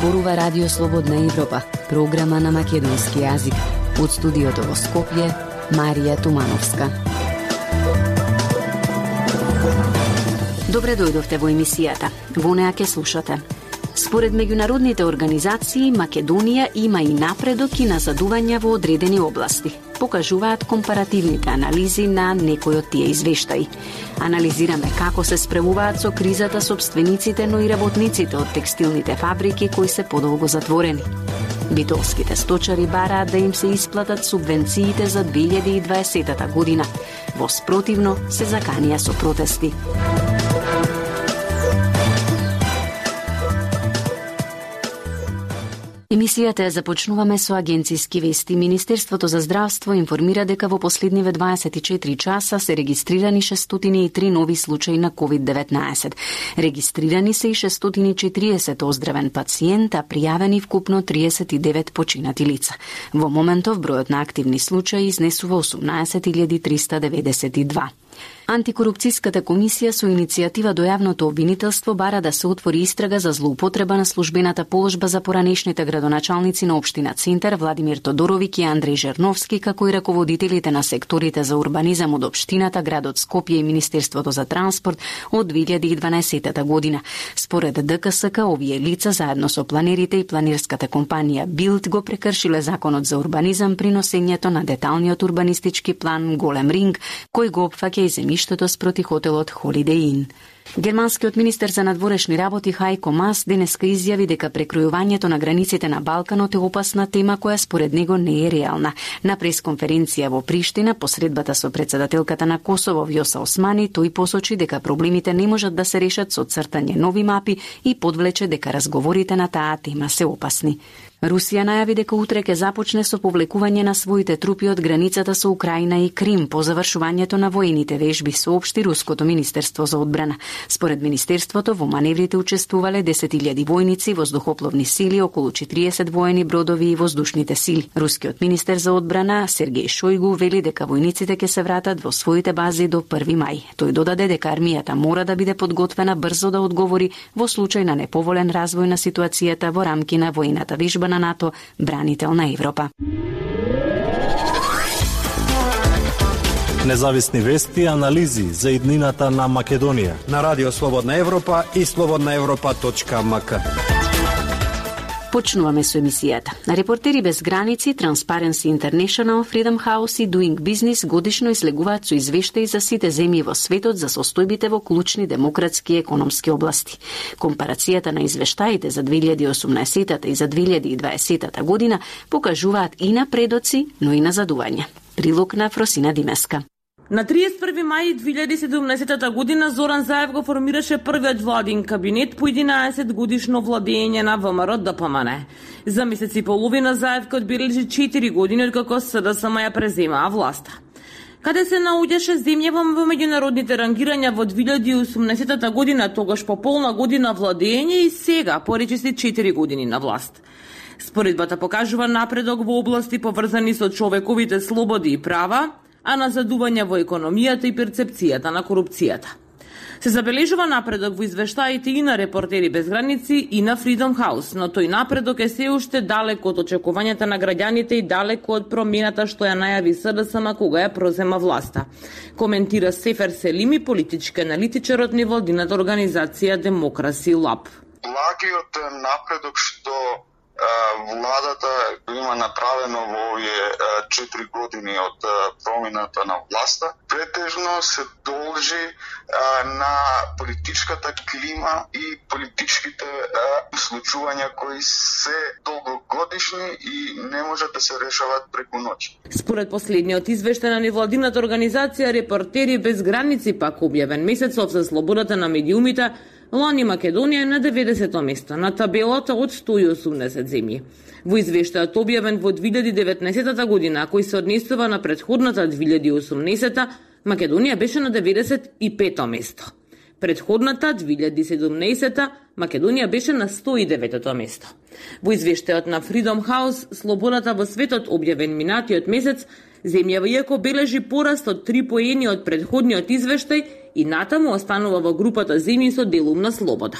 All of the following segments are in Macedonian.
зборува Радио Слободна Европа, програма на македонски јазик. Од студиото во Скопје, Марија Тумановска. Добре дојдовте во емисијата. Во неа ќе слушате. Според меѓународните организации, Македонија има и напредок и назадувања во одредени области. Покажуваат компаративните анализи на некои од тие извештаи. Анализираме како се справуваат со кризата собствениците, но и работниците од текстилните фабрики кои се подолго затворени. Битолските сточари бараат да им се исплатат субвенциите за 2020 година. Во спротивно се заканија со протести. Емисијата ја започнуваме со агенциски вести. Министерството за здравство информира дека во последниве 24 часа се регистрирани 603 нови случаи на COVID-19. Регистрирани се и 640 оздравен пациент, а пријавени вкупно 39 починати лица. Во моментов бројот на активни случаи изнесува 18.392. Антикорупцијската комисија со иницијатива до јавното обвинителство бара да се отвори истрага за злоупотреба на службената положба за поранешните градоначалници на општина Центар Владимир Тодоровик и Андреј Жерновски, како и раководителите на секторите за урбанизам од општината, градот Скопје и Министерството за транспорт од 2012 година. Според ДКСК, овие лица заедно со планерите и планерската компанија Билд го прекршиле законот за урбанизам при носењето на деталниот урбанистички план Голем Ринг, кој го опфаќа и земјиштето спроти хотелот Holiday Inn. Германскиот министер за надворешни работи Хајко Мас денеска изјави дека прекројувањето на границите на Балканот е опасна тема која според него не е реална. На пресконференција во Приштина, посредбата со председателката на Косово Вјоса Османи, тој посочи дека проблемите не можат да се решат со цртање нови мапи и подвлече дека разговорите на таа тема се опасни. Русија најави дека утре ќе започне со повлекување на своите трупи од границата со Украина и Крим по завршувањето на воените вежби, соопшти Руското министерство за одбрана. Според министерството, во маневрите учествувале 10.000 војници, воздухопловни сили, околу 40 воени бродови и воздушните сили. Рускиот министер за одбрана Сергеј Шојгу вели дека војниците ќе се вратат во своите бази до 1 мај. Тој додаде дека армијата мора да биде подготвена брзо да одговори во случај на неповолен развој на ситуацијата во рамки на војната вежба на НАТО Бранител на Европа. Независни вести и анализи за иднината на Македонија на Радио Слободна Европа и slobodnaevropa.mk. Почнуваме со емисијата. Репортери без граници, Transparency International, Freedom House и Doing Business годишно излегуваат со извештаи за сите земји во светот за состојбите во клучни демократски и економски области. Компарацијата на извештаите за 2018 и за 2020 година покажуваат и напредоци, но и назадувања. Прилог на Фросина Димеска. На 31 мај 2017 година Зоран Заев го формираше првиот владин кабинет по 11 годишно владење на ВМРО ДПМН. За месец и половина Заев ке одбележи 4 години откако СДСМ ја преземаа власта. Каде се наоѓаше земја во меѓународните рангирања во 2018 година, тогаш по полна година владење и сега поречиси 4 години на власт. Споредбата покажува напредок во области поврзани со човековите слободи и права, а назадување во економијата и перцепцијата на корупцијата. Се забележува напредок во извештаите и на Репортери без граници и на Freedom House, но тој напредок е се уште далеко од очекувањата на граѓаните и далеко од промената што ја најави СДСМ кога ја прозема власта. Коментира Сефер Селими, политички аналитичар од невладината организација Democracy Lab. Благиот напредок што владата има направено во овие 4 години од промената на власта, претежно се должи на политичката клима и политичките случувања кои се долгогодишни и не можат да се решават преку ноќ. Според последниот извештај на невладината организација Репортери без граници, пак објавен месецов за слободата на медиумите, лани Македонија е на 90-то место на табелата од 180 земји. Во извештајот објавен во 2019 година, кој се однесува на претходната 2018, Македонија беше на 95-то место. Претходната 2017 Македонија беше на 109-то место. Во извештајот на Freedom House, слободата во светот објавен минатиот месец, земјава иако бележи пораст од 3 поени од претходниот извештај, и натаму останува во групата земји со делумна слобода.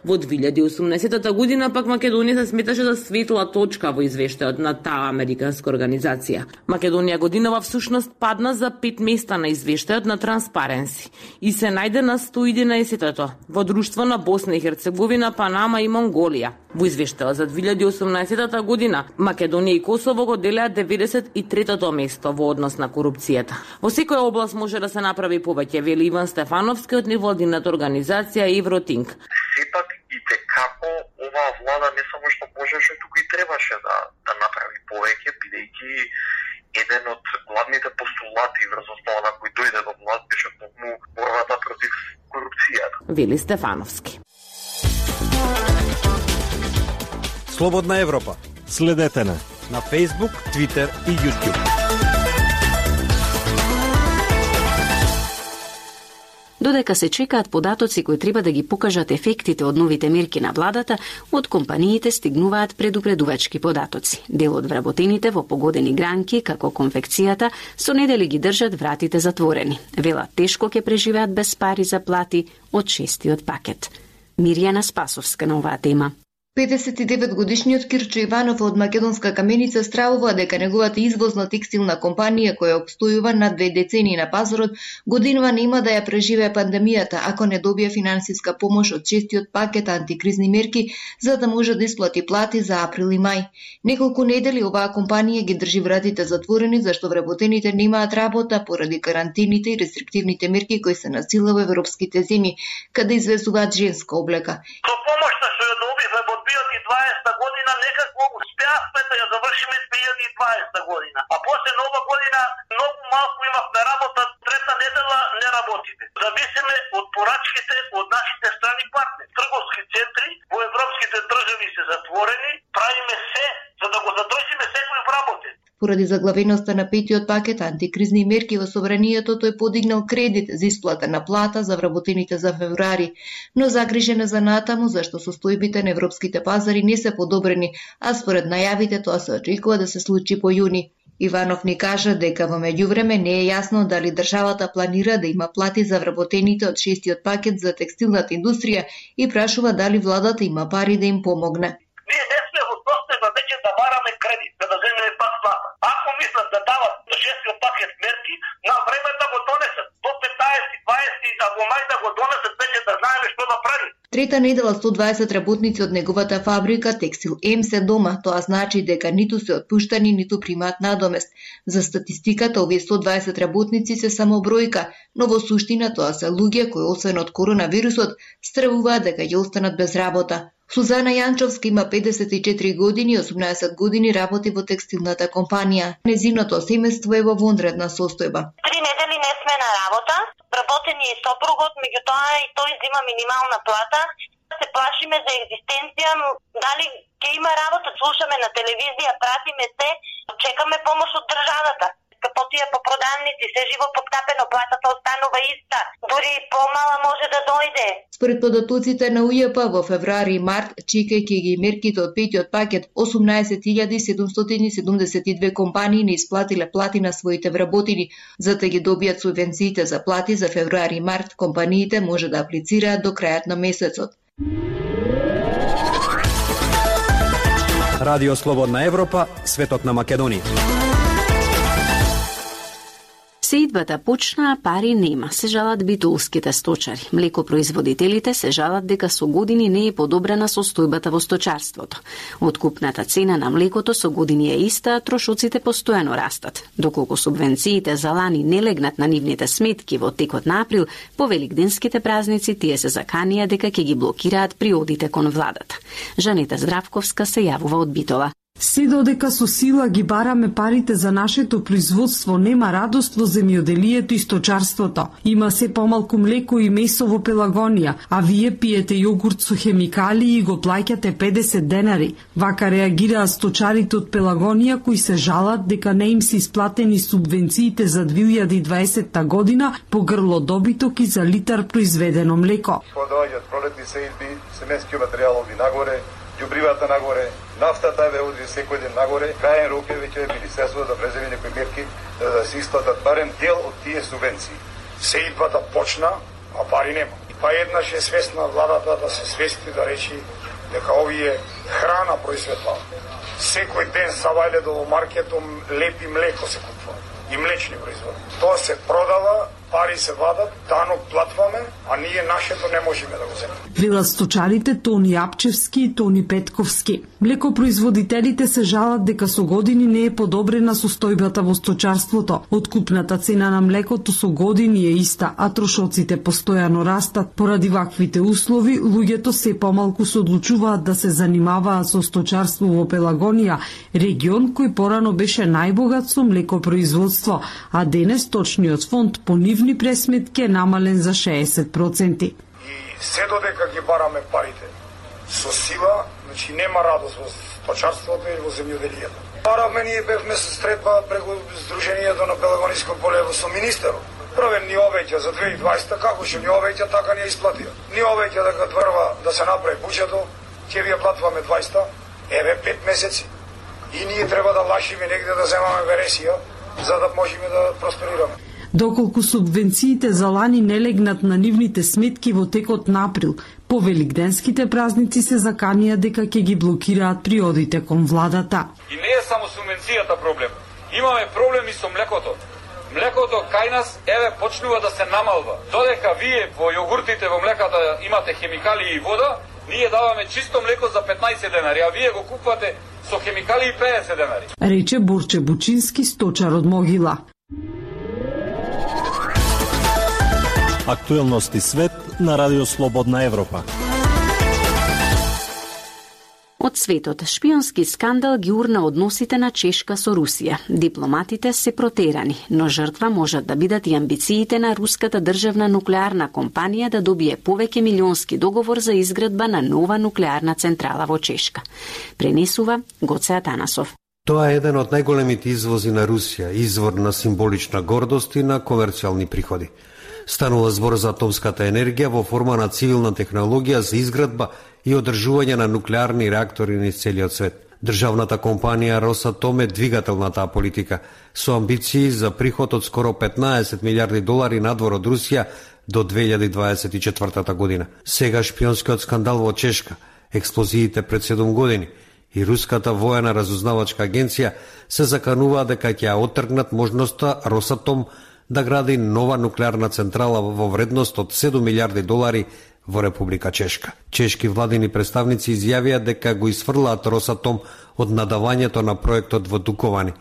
Во 2018 година пак Македонија се сметаше за светла точка во извештајот на таа американска организација. Македонија годинава всушност падна за 5 места на извештајот на Transparency и се најде на 111-тото во друштво на Босна и Херцеговина, Панама и Монголија. Во извештајот за 2018 година Македонија и Косово го делеа 93-тото место во однос на корупцијата. Во секоја област може да се направи повеќе, вели Иван Стефановски од невладината организација Евротинк. Сепак и како оваа влада не само што можеше, туку и требаше да направи повеќе, бидејќи еден од главните постулати врз основа на кој дојде до власт беше токму борбата против корупцијата. Вели Стефановски. Слободна Европа. Следете на Facebook, Twitter и YouTube. Додека се чекаат податоци кои треба да ги покажат ефектите од новите мерки на владата, од компаниите стигнуваат предупредувачки податоци. Дел од вработените во погодени гранки, како конфекцијата, со недели ги држат вратите затворени. Велат тешко ќе преживеат без пари за плати од 6-тиот пакет. Мирјана Спасовска на оваа тема. 59-годишниот Кирчо Иванов од Македонска Каменица стравува дека неговата извозна текстилна компанија која обстојува над 2 децении на пазарот годинава нема да ја преживее пандемијата ако не добие финансиска помош од 6-тиот пакет антикризни мерки за да може да исплати плати за април и мај. Неколку недели оваа компанија ги држи вратите затворени зашто вработените немаат работа поради карантините и рестриктивните мерки кои се насила во европските земји, каде извезуваат женска облека. 2020 година некако успеавме да ја завршиме 2020 година. А после нова година многу малку имавме работа, трета недела не работите. Зависиме од порачките од нашите страни партнери. Трговски центри во европските држави се затворени, правиме се за да го задржиме секој вработен. Поради заглавеноста на 5-тиот пакет антикризни мерки во собранието, тој подигнал кредит за исплата на плата за вработените за февруари, но загрижена за натаму зашто состојбите на европските пазари не се подобрени, а според најавите тоа се очекува да се случи по јуни. Иванов ни кажа дека во меѓувреме не е јасно дали државата планира да има плати за вработените од 6-тиот пакет за текстилната индустрија и прашува дали владата има пари да им помогне. Ние не сме во состојба веќе да бараме кредит, за да земеме пак плата. Ако мислат да дават 6-тиот пакет мерки, на време да го донесат. До 15-20, а во мај да го донесат, веќе да знаеме што да правим. Трета недела 120 работници од неговата фабрика Текстил М се дома. Тоа значи дека ниту се отпуштани, ниту примаат надомест. За статистиката, овие 120 работници се само бројка, но во суштина тоа се луѓе кои освен од коронавирусот стравуваат дека ќе останат без работа. Сузана Јанчовска има 54 години и 18 години работи во текстилната компанија. Незиното семејство е во вонредна состојба. 3 недели не сме на работа, работени и сопругот, меѓутоа и тој зима минимална плата. Се плашиме за екзистенција, дали ќе има работа, слушаме на телевизија, пратиме се, чекаме помош од државата. Потија по продавници, се живо подкапено, платата останува иста, дури помала може да дојде. Според податоците на УЈП во февруари и март, чекајќи ги мерките од 5-тиот пакет, 18.772 компании не исплатиле плати на своите вработени. За да ги добијат субвенциите за плати за февруари и март, компаниите може да аплицираат до крајот на месецот. Радио Слободна Европа, светот на Македонија. Сеидбата почна, пари нема, се жалат битулските сточари. Млекопроизводителите се жалат дека со години не е подобрена состојбата во сточарството. Откупната цена на млекото со години е иста, а трошоците постојано растат. Доколку субвенциите за лани не легнат на нивните сметки во текот на април, по великденските празници тие се заканија дека ќе ги блокираат при одите кон владата. Жанета Здравковска се јавува од Битола. Се додека со сила ги бараме парите за нашето производство, нема радост во земјоделието и сточарството. Има се помалку млеко и месо во Пелагонија, а вие пиете јогурт со хемикали и го плаќате 50 денари. Вака реагираа сточарите од Пелагонија кои се жалат дека не им се исплатени субвенциите за 2020 година по грло добиток и за литар произведено млеко. Кога доаѓаат пролетни сеидби, семенски материјал оди нагоре, ѓубривата нагоре, нафтата ве оди секој ден нагоре, крајен рок е веќе министерството да преземе некои мерки да се исплатат барем дел од тие субвенции. Сеидбата почна, а пари нема. Па еднаш е свесна владата да се свести да речи дека овие храна произведува. Секој ден савајле до маркетом леп и млеко се купува и млечни производи. Тоа се продава, пари се вадат, данок платваме, а ние нашето не можеме да го земеме. Велат сточарите Тони Апчевски и Тони Петковски. Млекопроизводителите се жалат дека со години не е подобрена состојбата во сточарството. Откупната цена на млекото со години е иста, а трошоците постојано растат. Поради ваквите услови, луѓето се помалку се одлучуваат да се занимаваат со сточарство во Пелагонија, регион кој порано беше најбогат со млекопроизводство, а денес точниот фонд по нивни пресметки е намален за 60%. И се додека ги бараме парите со сила, значи нема радост во сточарството и во земјоделието. Баравме, ние бевме со средба преку Сдруженијето на Пелагониско поле со министерот. Првен ни обеќа за 2020, како што ни обеќа, така ни исплатија. Ни обеќа дека тврва да се направи буџето, ќе ви ја платваме 20, еве 5 месеци. И ние треба да лашиме негде да земаме вересија, за да можеме да просперираме. Доколку субвенциите за лани не легнат на нивните сметки во текот на април, по великденските празници се заканија дека ќе ги блокираат приодите кон владата. И не е само субвенцијата проблем. Имаме проблеми со млекото. Млекото кај нас, еве, почнува да се намалва. Додека вие во јогуртите во млеката имате хемикали и вода, ние даваме чисто млеко за 15 денари, а вие го купувате со хемикали и 50 денари. Рече Борче Бучински, сточар од Могила. Актуелности свет на Радио Слободна Европа. Од светот, шпионски скандал ги урна односите на Чешка со Русија. Дипломатите се протерани, но жртва можат да бидат и амбициите на руската државна нуклеарна компанија да добие повеќе милионски договор за изградба на нова нуклеарна централа во Чешка. Пренесува Гоце Атанасов. Тоа е еден од најголемите извози на Русија, извор на символична гордост и на комерцијални приходи. Станува збор за атомската енергија во форма на цивилна технологија за изградба и одржување на нуклеарни реактори низ целиот свет. Државната компанија Росатом е двигател на таа политика, со амбиции за приход од скоро 15 милиарди долари надвор од Русија до 2024 година. Сега шпионскиот скандал во Чешка, експлозиите пред 7 години и руската воена разузнавачка агенција се закануваа дека ќе ја оттргнат можноста Росатом да гради нова нуклеарна централа во вредност од 7 милиарди долари во Република Чешка. Чешки владини представници изјавија дека го изфрлаат Росатом од надавањето на проектот во Дуковани,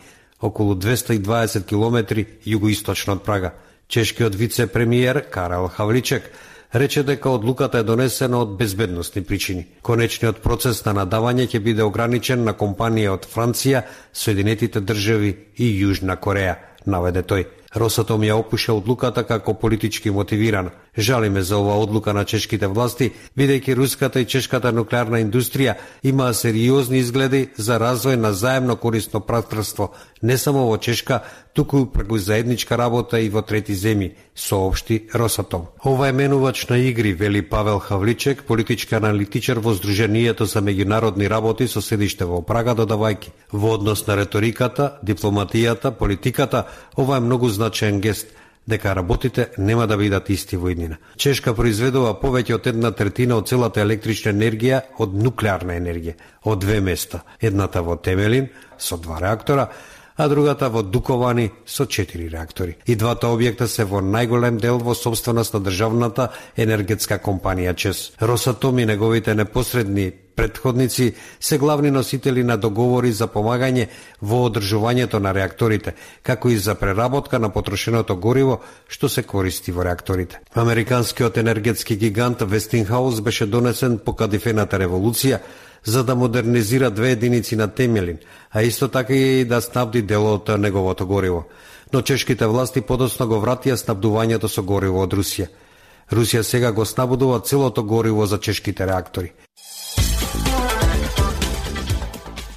околу 220 километри југоисточно од Прага. Чешкиот вице-премиер Карел Хавличек рече дека одлуката е донесена од безбедносни причини. Конечниот процес на надавање ќе биде ограничен на компанија од Франција, Соединетите држави и Јужна Кореја, наведе тој. Росатом ја опуша одлуката како политички мотивирана. Жалиме за оваа одлука на чешките власти, бидејќи руската и чешката нуклеарна индустрија имаа сериозни изгледи за развој на заемно корисно партнерство, не само во Чешка, туку преку заедничка работа и во трети земји, соопшти Росатом. Ова е менувач на игри, вели Павел Хавличек, политички аналитичар во Сдруженијето за меѓународни работи со седиште во Прага, додавајќи: во однос на реториката, дипломатијата, политиката, ова е многу значаен гест, дека работите нема да бидат исти во иднина. Чешка произведува повеќе од 1/3 од целата електрична енергија од нуклеарна енергија, од две места, едната во Темелин со 2 реактора, а другата во Дуковани со 4 реактори. И двата објекта се во најголем дел во собственост на државната енергетска компанија ЧЕЗ. Росатом и неговите непосредни претходници се главни носители на договори за помагање во одржувањето на реакторите, како и за преработка на потрошеното гориво што се користи во реакторите. Американскиот енергетски гигант Вестингхаус беше донесен по кадифената револуција за да модернизира 2 единици на Темелин, а исто така и да снабди дел од неговото гориво. Но чешките власти подоцна го вратија снабдувањето со гориво од Русија. Русија сега го снабдува целото гориво за чешките реактори.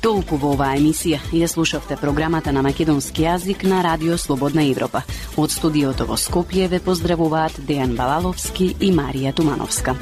Толку во оваа емисија. Ја слушавте програмата на македонски јазик на Радио Слободна Европа. Од студиото во Скопје ве поздравуваат Дејан Балаловски и Марија Тумановска.